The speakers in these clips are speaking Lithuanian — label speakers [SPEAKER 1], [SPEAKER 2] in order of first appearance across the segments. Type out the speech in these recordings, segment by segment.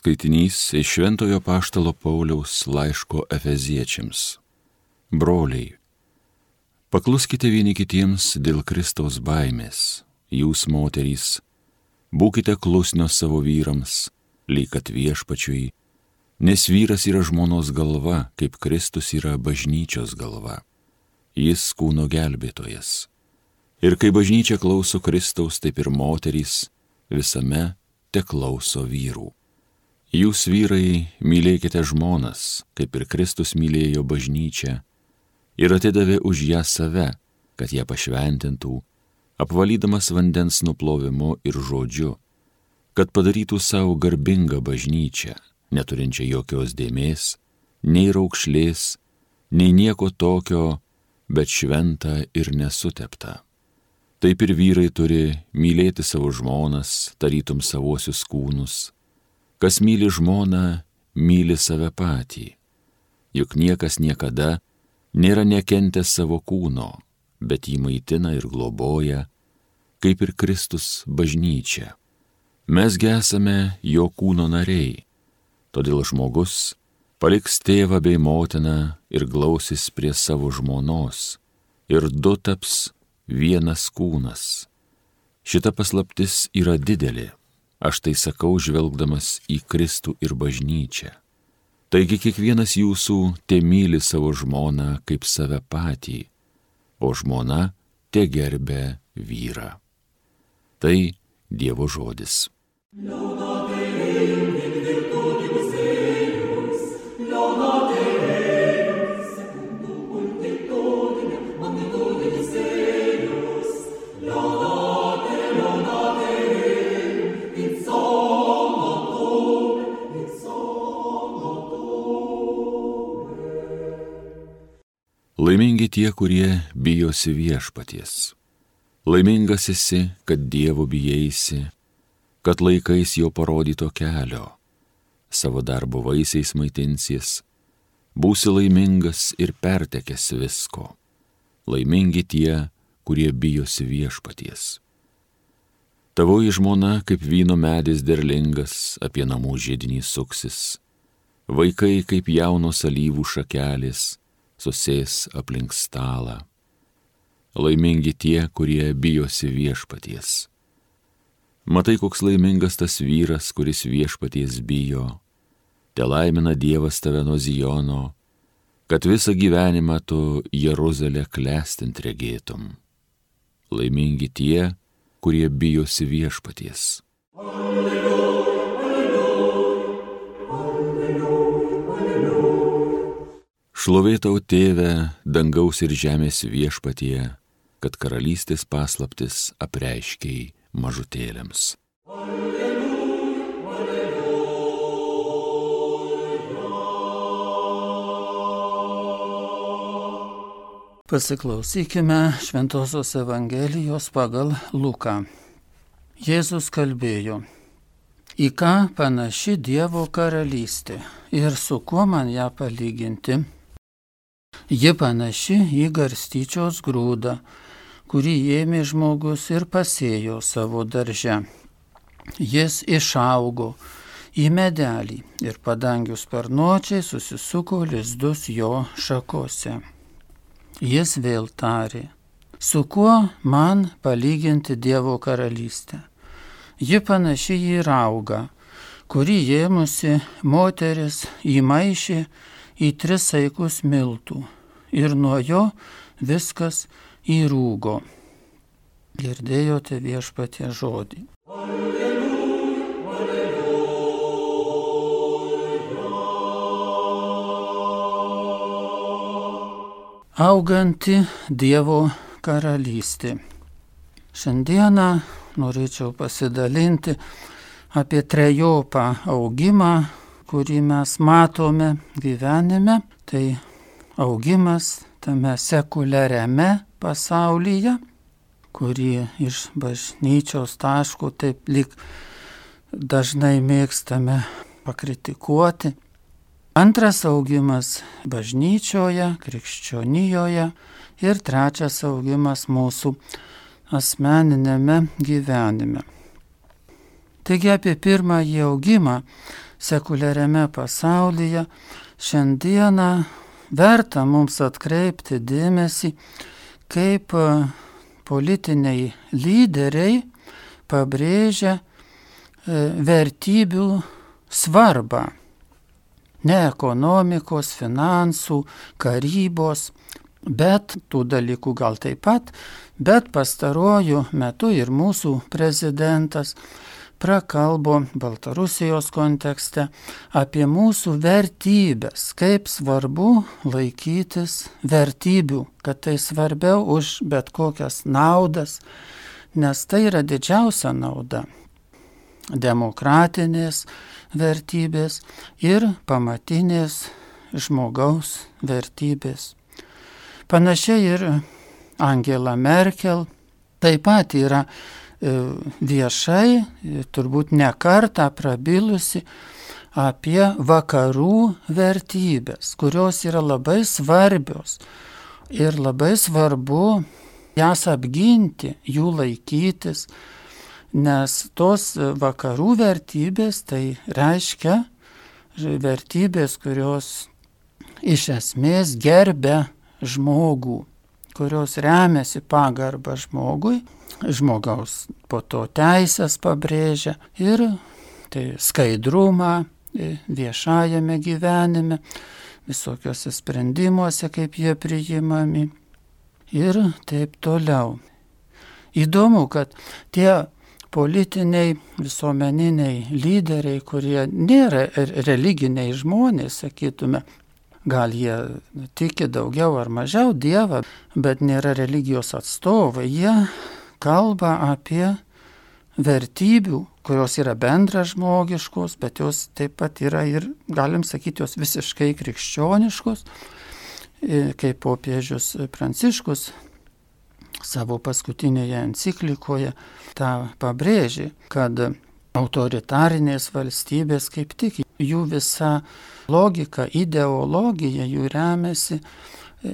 [SPEAKER 1] Skaitinys iš Šventojo Apaštalo Pauliaus laiško Efeziečiams. Broliai, pakluskite vieni kitiems dėl Kristaus baimės. Jūs, moterys, būkite klusnios savo vyrams, lyg kad Viešpačiui, nes vyras yra žmonos galva, kaip Kristus yra bažnyčios galva. Jis kūno gelbėtojas. Ir kai bažnyčia klauso Kristaus, taip ir moterys visame teklauso vyrų. Jūs, vyrai, mylėkite žmonas, kaip ir Kristus mylėjo bažnyčią ir atidavė už ją save, kad ją pašventintų, apvalydamas vandens nuplovimu ir žodžiu, kad padarytų savo garbingą bažnyčią, neturinčią jokios dėmės, nei raukšlės, nei nieko tokio, bet šventą ir nesuteptą. Taip ir vyrai turi mylėti savo žmonas, tarytum savuosius kūnus. Kas myli žmoną, myli save patį. Juk niekas niekada nėra nekentęs savo kūno, bet jį maitina ir globoja, kaip ir Kristus bažnyčia. Mesgi esame jo kūno nariai, todėl žmogus paliks tėvą bei motiną ir glausis prie savo žmonos, ir du taps vienas kūnas. Šita paslaptis yra didelė. Aš tai sakau, žvelgdamas į Kristų ir bažnyčią. Taigi kiekvienas jūsų temyli savo žmoną kaip save patį, o žmona tegerbia vyrą. Tai Dievo žodis. Laimingi tie, kurie bijosi Viešpaties. Laimingas esi, kad Dievo bijaisi, kad laikais jo parodyto kelio. Savo darbo vaisiais maitinsies, būsi laimingas ir pertekęs visko. Laimingi tie, kurie bijosi Viešpaties. Tavoji žmona kaip vyno medis derlingas, apie namų židinį suksis. Vaikai kaip jaunos alyvų šakelės, susės aplink stalą. Laimingi tie, kurie bijosi Viešpaties. Matai, koks laimingas tas vyras, kuris Viešpaties bijo. Telaimina Dievas tave nuo Zijono, kad visą gyvenimą tu Jeruzalę klestint regėtum. Laimingi tie, kurie bijosi Viešpaties. Šlovė tau, Tėve, dangaus ir žemės Viešpatie, kad karalystės paslaptis apreiškei mažutėliams. Alleluja,
[SPEAKER 2] alleluja. Pasiklausykime Šventosios Evangelijos pagal Luką. Jėzus kalbėjo: Į ką panaši Dievo karalystė ir su kuo man ją palyginti? Ji panaši į garstyčios grūdą, kurį ėmė žmogus ir pasėjo savo darže. Jis išaugo į medelį ir padangių sparnuočiai susisuko lizdus jo šakose. Jis vėl tarė: Su kuo man palyginti Dievo karalystę? Ji panaši į raugą, kurį ėmusi moteris įmaišė į 3 saikus miltų ir nuo jo viskas įrūgo. Girdėjote Viešpaties žodį. Alleluja, alleluja. Auganti Dievo karalystė. Šiandieną norėčiau pasidalinti apie trejopą augimą, kurį mes matome gyvenime. Tai augimas tame sekuliariame pasaulyje, kurį iš bažnyčios taško taip lyg dažnai mėgstame pakritikuoti. Antras augimas bažnyčioje, krikščionijoje ir trečias augimas mūsų asmeninėme gyvenime. Taigi apie pirmąjį augimą sekuliariame pasaulyje, šiandieną verta mums atkreipti dėmesį, kaip politiniai lyderiai pabrėžia vertybių svarbą. Ne ekonomikos, finansų, karybos, bet tų dalykų gal taip pat, bet pastaruoju metu ir mūsų prezidentas prakalbo Baltarusijos kontekste apie mūsų vertybės, kaip svarbu laikytis vertybių, kad tai svarbiau už bet kokias naudas, nes tai yra didžiausia nauda. Demokratinės vertybės ir pamatinės žmogaus vertybės. Panašiai ir Angela Merkel taip pat yra viešai, turbūt ne kartą prabilusi apie vakarų vertybės, kurios yra labai svarbios ir labai svarbu jas apginti, jų laikytis, nes tos vakarų vertybės tai reiškia vertybės, kurios iš esmės gerbia žmogų, kurios remiasi pagarbą žmogui, žmogaus po to teisės pabrėžia ir tai skaidrumą viešajame gyvenime, visokiuose sprendimuose, kaip jie priimami ir taip toliau. Įdomu, kad tie politiniai, visuomeniniai lyderiai, kurie nėra religiniai žmonės, sakytume, gal jie tiki daugiau ar mažiau Dievą, bet nėra religijos atstovai, jie kalba apie vertybių, kurios yra bendražmogiškos, bet jos taip pat yra ir, galim sakyti, jos visiškai krikščioniškos, kaip popiežius Pranciškus savo paskutinėje enciklikoje tą pabrėžė, kad autoritarinės valstybės kaip tik jų visa logika, ideologija jų remiasi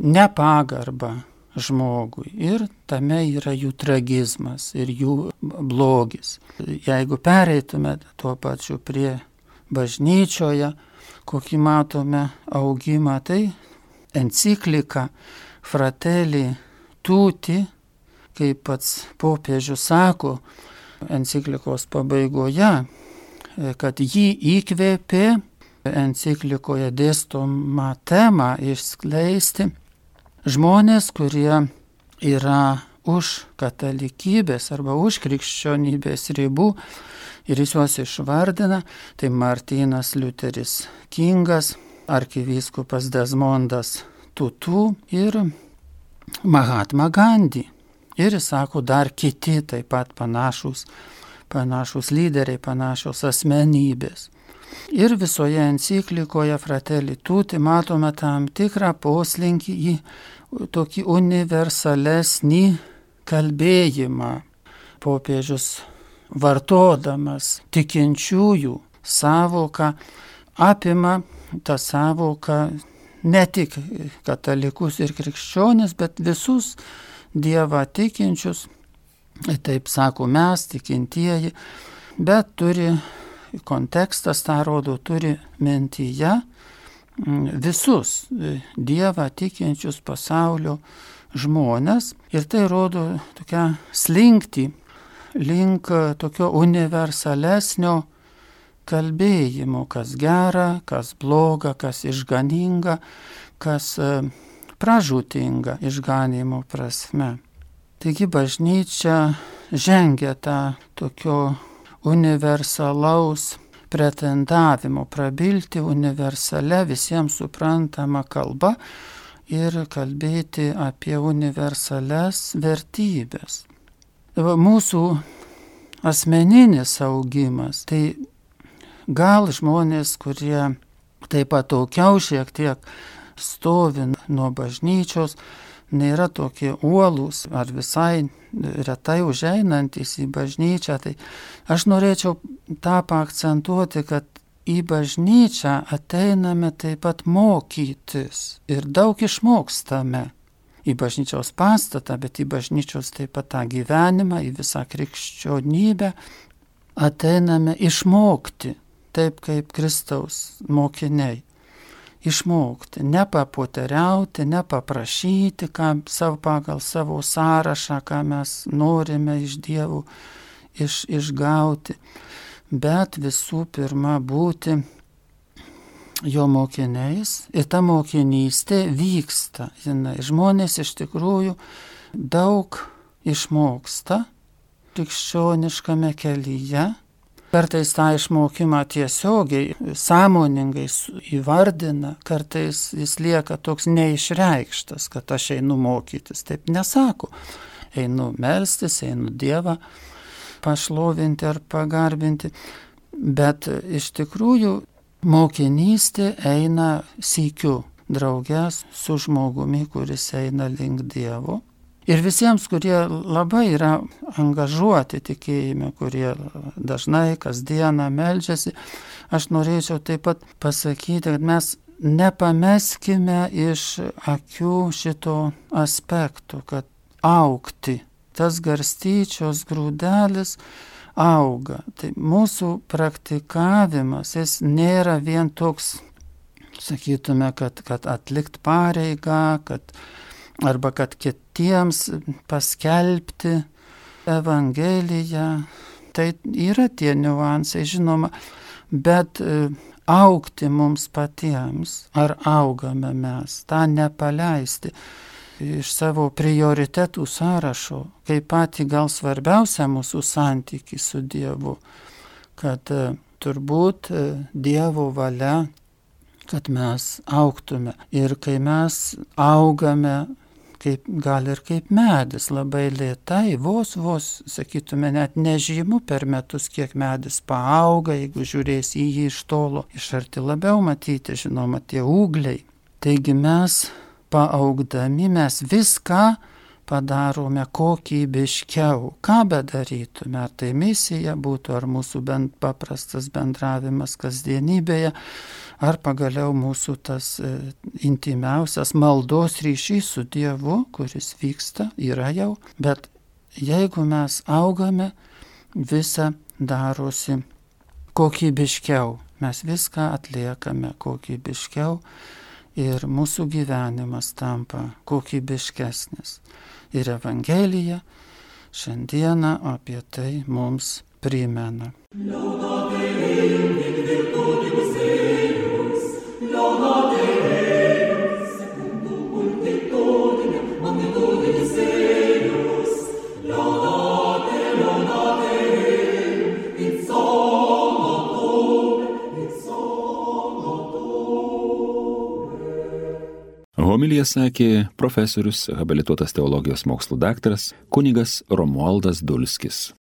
[SPEAKER 2] nepagarba žmogui ir tame yra jų tragizmas ir jų blogis. Jeigu pereitume tuo pačiu prie bažnyčioje, kokį matome augimą, tai enciklika Fratelli Tutti, kaip pats popiežius sako enciklikos pabaigoje, kad jį įkvėpė enciklikoje dėstomą temą išskleisti žmonės, kurie yra už katalikybės arba už krikščionybės ribų ir jis juos išvardina, tai Martynas Liuteris Kingas, arkivyskupas Desmondas Tutu ir Mahatma Gandhi. Ir jis sako dar kiti taip pat panašus lyderiai, panašios asmenybės. Ir visoje enciklikoje Fratelli Tutti matome tam tikrą poslinkį į tokį universalesnį kalbėjimą. Popiežius vartodamas tikinčiųjų savoką apima tą savoką ne tik katalikus ir krikščionis, bet visus Dievą tikinčius, taip sako mes, tikintieji, bet turi, kontekstas tą rodo, turi mintyje visus Dievą tikinčius pasaulio žmonės ir tai rodo tokią slinktį link tokio universalesnio kalbėjimo, kas gera, kas bloga, kas išganinga, kas pražūtinga išganimo prasme. Taigi bažnyčia žengia tą tokio universalaus pretendavimo, prabilti universale visiems suprantama kalba ir kalbėti apie universales vertybės. Mūsų asmeninis augimas, tai gal žmonės, kurie taip pat atokiau šiek tiek stovi nuo bažnyčios, nėra tokie uolūs ar visai retai užeinantis į bažnyčią, tai aš norėčiau tą paakcentuoti, kad į bažnyčią ateiname taip pat mokytis ir daug išmokstame. Į bažnyčios pastatą, bet į bažnyčios taip pat tą gyvenimą, į visą krikščionybę ateiname išmokti. taip kaip Kristaus mokiniai. Išmokti, nepapoteriauti, nepaprašyti pagal savo sąrašą, ką mes norime iš Dievų išgauti, bet visų pirma būti jo mokiniais. Ir ta mokinystė vyksta. Žmonės iš tikrųjų daug išmoksta krikščioniškame kelyje. Kartais tą išmokimą tiesiogiai, sąmoningai įvardina, kartais jis lieka toks neišreikštas, kad aš einu mokytis. Taip nesako. Einu melstis, einu Dievą pašlovinti ar pagarbinti. Bet iš tikrųjų mokinystė eina sykiu draugės su žmogumi, kuris eina link Dievo. Ir visiems, kurie labai yra angažuoti tikėjime, kurie dažnai kasdieną meldžiasi, aš norėčiau taip pat pasakyti, kad mes nepameskime iš akių šito aspekto, kad augti, tas garstyčios grūdelis auga. Tai mūsų praktikavimas, jis nėra vien toks, sakytume, kad atlikt pareigą, arba kad kitiems paskelbti Evangeliją. Tai yra tie niuansai, žinoma, bet augti mums patiems, ar augame mes, tą nepaleisti iš savo prioritetų sąrašo, kaip patį gal svarbiausia mūsų santykį su Dievu, kad turbūt Dievo valia, kad mes augtume. Ir kai mes augame, gal ir kaip medis, labai lėtai, vos, sakytume, net nežymu per metus, kiek medis paauga, jeigu žiūrės į jį iš tolo, iš arti labiau matyti, žinoma, tie ūgliai. Taigi mes paaugdami, mes viską padarome kokybiškiau. Ką bedarytume, ar tai misija būtų, ar mūsų paprastas bendravimas kasdienybėje, ar pagaliau mūsų tas intimiausias maldos ryšys su Dievu, kuris vyksta, yra jau. Bet jeigu mes augame, visa darosi kokybiškiau. Mes viską atliekame kokybiškiau ir mūsų gyvenimas tampa kokybiškesnis. Ir Evangelija šiandieną apie tai mums primena.
[SPEAKER 1] Homiliją sakė profesorius, habilituotas teologijos mokslų daktaras kunigas Romualdas Dulskis.